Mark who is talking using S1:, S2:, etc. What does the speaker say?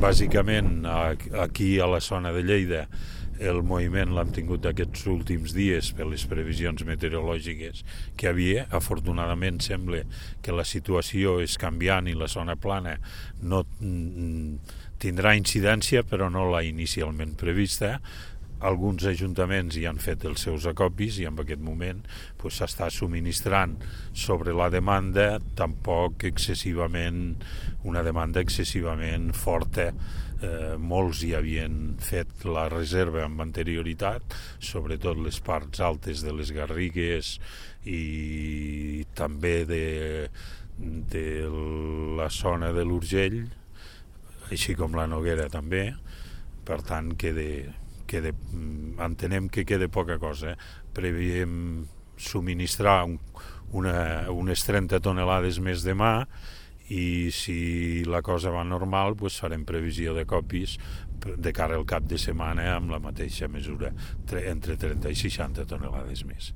S1: Bàsicament, aquí a la zona de Lleida, el moviment l'hem tingut aquests últims dies per les previsions meteorològiques que havia. Afortunadament sembla que la situació és canviant i la zona plana no tindrà incidència, però no la inicialment prevista. Alguns ajuntaments hi han fet els seus acopis i en aquest moment s'està subministrant sobre la demanda, tampoc excessivament, una demanda excessivament forta. Molts hi havien fet la reserva amb anterioritat, sobretot les parts altes de les Garrigues i també de la zona de l'Urgell, així com la Noguera també. Per tant, entenem que queda poca cosa. Preveiem subministrar unes 30 tonelades més demà i si la cosa va normal farem previsió de copis de cara al cap de setmana amb la mateixa mesura, entre 30 i 60 tonelades més.